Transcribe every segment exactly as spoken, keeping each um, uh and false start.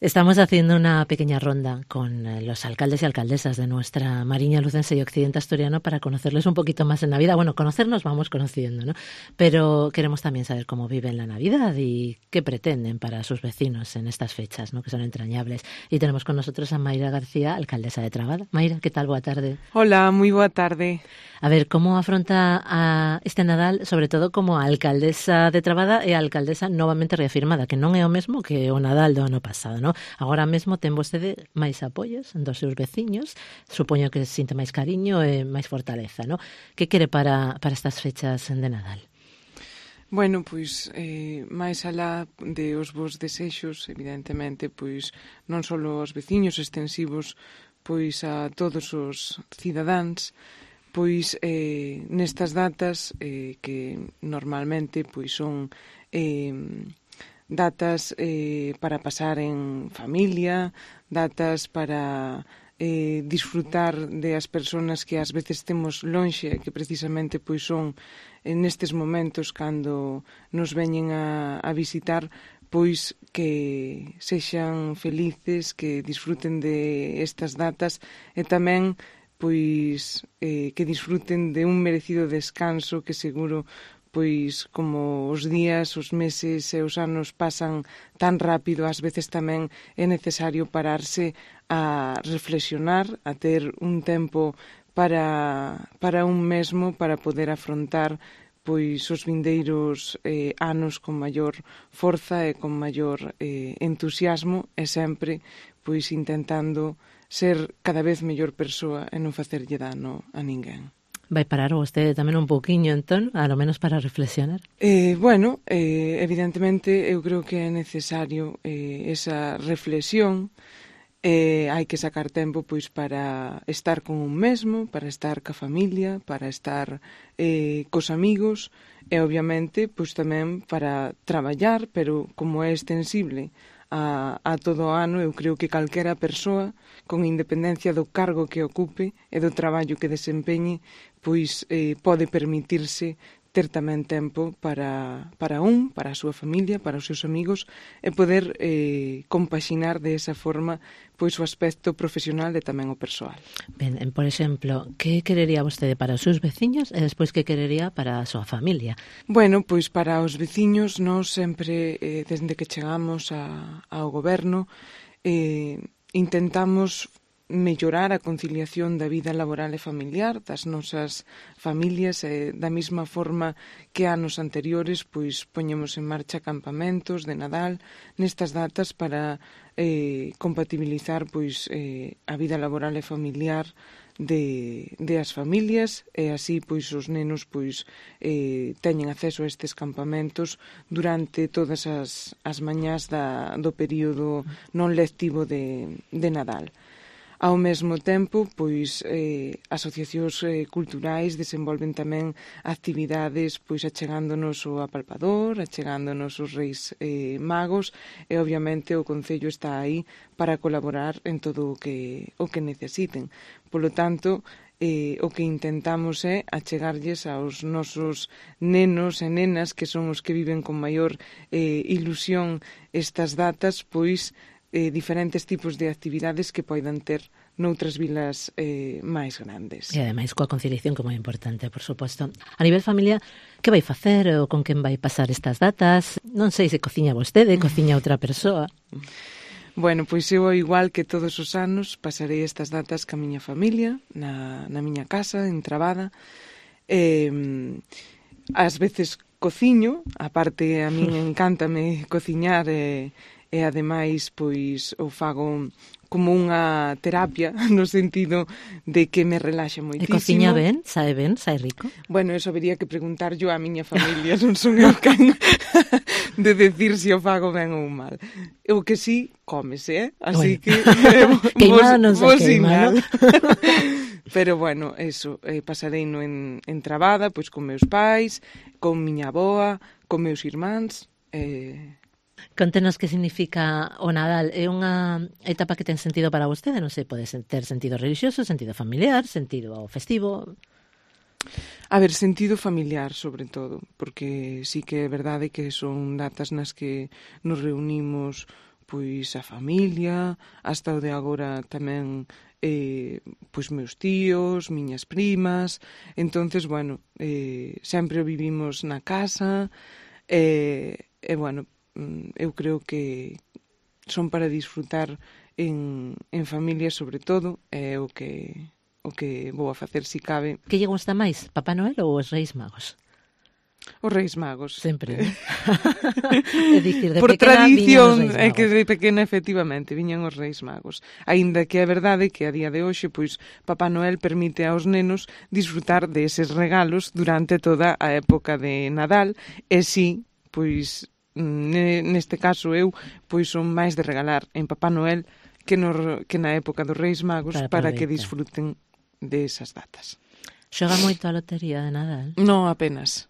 Estamos haciendo una pequeña ronda con los alcaldes y alcaldesas de nuestra Mariña Lucense y Occidente Asturiano para conocerles un poquito más en Navidad. Bueno, conocernos vamos conociendo, ¿no? Pero queremos también saber cómo viven la Navidad y qué pretenden para sus vecinos en estas fechas, ¿no? Que son entrañables. Y tenemos con nosotros a Mayra García, alcaldesa de Trabada. Mayra, ¿qué tal? Boa tarde. Hola, moi boa tarde. A ver, como afronta a este Nadal, sobre todo como alcaldesa de Trabada e alcaldesa novamente reafirmada, que non é o mesmo que o Nadal do ano pasado, non? Agora mesmo ten vostede máis apoios dos seus veciños, supoño que sinte máis cariño e máis fortaleza, non? Que quere para, para estas fechas de Nadal? Bueno, pois, eh, máis alá de os vos desexos, evidentemente, pois, non só os veciños extensivos, pois a todos os cidadáns, pois eh, nestas datas eh, que normalmente pois son eh, datas eh, para pasar en familia, datas para eh, disfrutar de as persoas que ás veces temos lonxe, que precisamente pois son nestes momentos cando nos veñen a, a visitar, pois que sexan felices, que disfruten de estas datas e tamén pois eh, que disfruten de un merecido descanso que seguro, pois como os días, os meses e os anos pasan tan rápido, ás veces tamén é necesario pararse a reflexionar, a ter un tempo para, para un mesmo, para poder afrontar pois os vindeiros eh, anos con maior forza e con maior eh, entusiasmo e sempre pois intentando ser cada vez mellor persoa e non facerlle dano a ninguén. Vai parar vostede tamén un pouquiño, entón, a lo menos para reflexionar? Eh, bueno, eh, evidentemente eu creo que é necesario eh, esa reflexión. Eh, hai que sacar tempo pois para estar con un mesmo, para estar ca familia, para estar eh, cos amigos e obviamente pois tamén para traballar, pero como é extensible a, a todo o ano, eu creo que calquera persoa, con independencia do cargo que ocupe e do traballo que desempeñe, pois eh, pode permitirse ter tamén tempo para, para un, para a súa familia, para os seus amigos e poder eh, compaxinar de esa forma pois o aspecto profesional e tamén o persoal. Ben, por exemplo, que querería vostede para os seus veciños e despois que querería para a súa familia? Bueno, pois para os veciños nós sempre, eh, desde que chegamos a, ao goberno, eh, intentamos mellorar a conciliación da vida laboral e familiar das nosas familias e da mesma forma que anos anteriores pois poñemos en marcha campamentos de Nadal nestas datas para eh, compatibilizar pois eh, a vida laboral e familiar de, de as familias e así pois os nenos pois eh, teñen acceso a estes campamentos durante todas as, as mañás da, do período non lectivo de, de Nadal. Ao mesmo tempo, pois, eh, asociacións eh, culturais desenvolven tamén actividades pois achegándonos o apalpador, achegándonos os reis eh, magos e, obviamente, o Concello está aí para colaborar en todo o que, o que necesiten. Polo tanto, eh, o que intentamos é achegarlles aos nosos nenos e nenas, que son os que viven con maior eh, ilusión estas datas, pois, Eh, diferentes tipos de actividades que poidan ter noutras vilas eh, máis grandes. E ademais coa conciliación como é importante, por suposto. A nivel familia, que vai facer ou con quen vai pasar estas datas? Non sei se cociña vostede, cociña outra persoa. Bueno, pois eu, ao igual que todos os anos, pasarei estas datas ca miña familia, na, na miña casa, en Trabada. Eh, ás veces cociño, aparte a min encántame cociñar e eh, e ademais pois o fago como unha terapia no sentido de que me relaxa moitísimo. E cociña ben? Sae ben? Sae rico? Bueno, eso habería que preguntar yo á miña familia, non son eu can de decir se o fago ben ou mal. O que sí, cómese, eh? Así bueno. que eh, queimado non se queima, ¿no? Pero bueno, eso, eh, pasarei no en, en Trabada, pois con meus pais, con miña avoa, con meus irmáns, eh... Contenos que significa o Nadal. É unha etapa que ten sentido para vostede? Non sei, pode ter sentido religioso, sentido familiar, sentido festivo... A ver, sentido familiar, sobre todo, porque sí que é verdade que son datas nas que nos reunimos pois a familia, hasta o de agora tamén eh, pois meus tíos, miñas primas. Entonces, bueno, eh, sempre o vivimos na casa e, e bueno, eu creo que son para disfrutar en, en familia sobre todo, é o que o que vou a facer si cabe. Que lle gusta máis, Papá Noel ou os Reis Magos? Os Reis Magos. Sempre, ¿no? É dicir, de por pequena tradición, é que de pequena efectivamente viñan os Reis Magos. Aínda que é verdade que a día de hoxe, pois, Papá Noel permite aos nenos disfrutar deses regalos durante toda a época de Nadal, e si, pois, neste caso eu, pois son máis de regalar en Papá Noel que, no, que na época dos Reis Magos para, para que disfruten de esas datas. Xoga moito a lotería de Nadal? Non, apenas.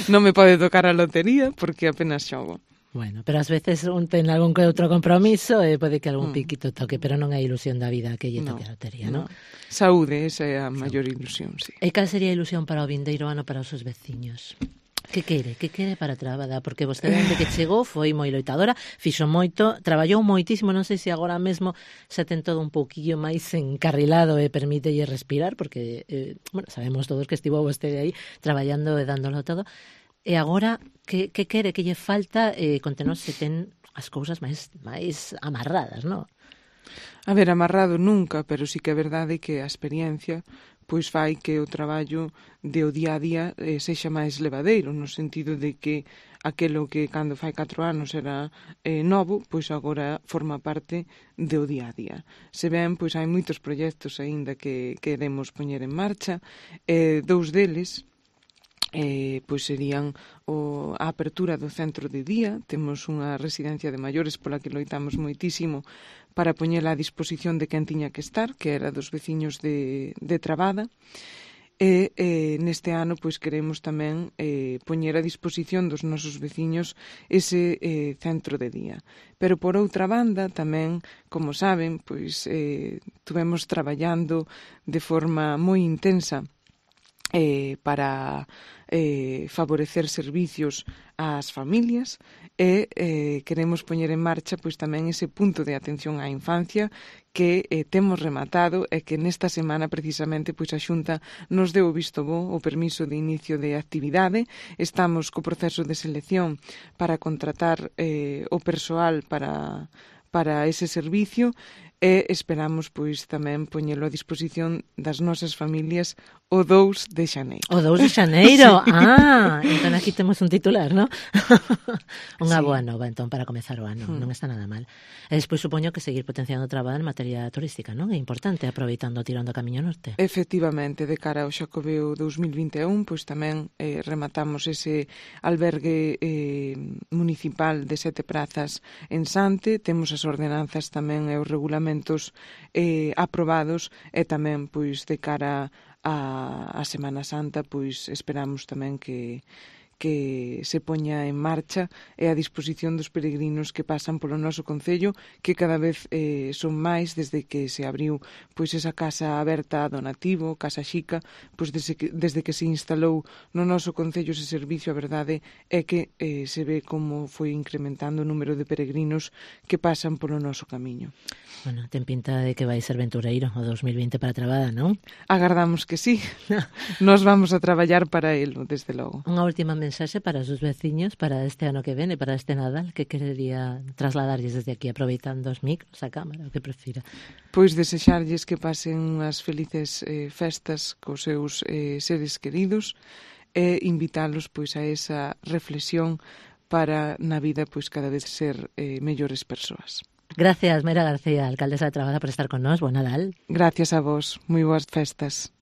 Non me pode tocar a lotería porque apenas xogo. Bueno, pero ás veces un ten algún que outro compromiso e pode que algún mm. piquito toque, pero non é ilusión da vida que lle toque no, a lotería, non? No. Saúde, esa é a maior ilusión, sí. E cal sería a ilusión para o vindeiro ano para os seus veciños? Que quere? Que quere para a trabada? Porque vostede, dende que chegou, foi moi loitadora, fixo moito, traballou moitísimo, non sei se agora mesmo se ten todo un pouquillo máis encarrilado e permítelle respirar, porque, eh, bueno, sabemos todos que estivo vostede aí traballando e dándolo todo. E agora, que, que quere? Que lle falta? Eh, contenos se ten as cousas máis, máis amarradas, non? A ver, amarrado nunca, pero sí que é verdade que a experiencia pois fai que o traballo de o día a día eh, sexa máis levadeiro, no sentido de que aquelo que cando fai catro anos era eh, novo, pois agora forma parte do día a día. Se ben, pois hai moitos proxectos aínda que queremos poñer en marcha, eh, dous deles eh, pois serían o, a apertura do centro de día. Temos unha residencia de maiores pola que loitamos moitísimo para poñela a disposición de quen tiña que estar, que era dos veciños de, de Trabada, e eh, neste ano pois queremos tamén eh, poñer a disposición dos nosos veciños ese eh, centro de día. Pero por outra banda tamén, como saben, pois eh, tuvemos traballando de forma moi intensa eh, para eh, favorecer servicios ás familias e eh, queremos poñer en marcha pois tamén ese punto de atención á infancia que eh, temos rematado e que nesta semana precisamente pois a Xunta nos deu o visto bo, o permiso de inicio de actividade. Estamos co proceso de selección para contratar eh, o persoal para, para ese servicio e esperamos pois tamén poñelo a disposición das nosas familias o dous de xaneiro. O dous de xaneiro? Sí. Ah, entón aquí temos un titular, non? Unha sí. Boa nova, entón, para comezar o ano, hmm. non está nada mal. E despois supoño que seguir potenciando o traballo en materia turística, non? É importante, aproveitando o tirón do Camiño Norte. Efectivamente, de cara ao Xacobeo dous mil vinte e un, pois tamén eh, rematamos ese albergue eh, municipal de sete prazas en Sante, temos as ordenanzas tamén e os regulamentos eh, aprobados e tamén, pois, de cara a, a Semana Santa, pois esperamos tamén que que se poña en marcha e a disposición dos peregrinos que pasan polo noso concello, que cada vez eh, son máis desde que se abriu pois esa casa aberta a donativo, Casa Xica, pois desde que, desde que se instalou no noso concello ese servicio. A verdade é que eh, se ve como foi incrementando o número de peregrinos que pasan polo noso camiño. Bueno, ten pinta de que vai ser ventureiro o dous mil vinte para Trabada, non? Agardamos que sí. Nos vamos a traballar para elo, desde logo. Unha última mensaxe para os seus veciños para este ano que vene, para este Nadal, que querería trasladarlles desde aquí, aproveitando os micros, a cámara, o que prefira? Pois desexarlles que pasen unhas felices eh, festas cos seus eh, seres queridos e invitalos pois a esa reflexión para na vida pois cada vez ser eh, mellores persoas. Gracias, Mayra García, alcaldesa de Trabada, por estar con nós. Bo Nadal. Gracias a vos. Moi boas festas.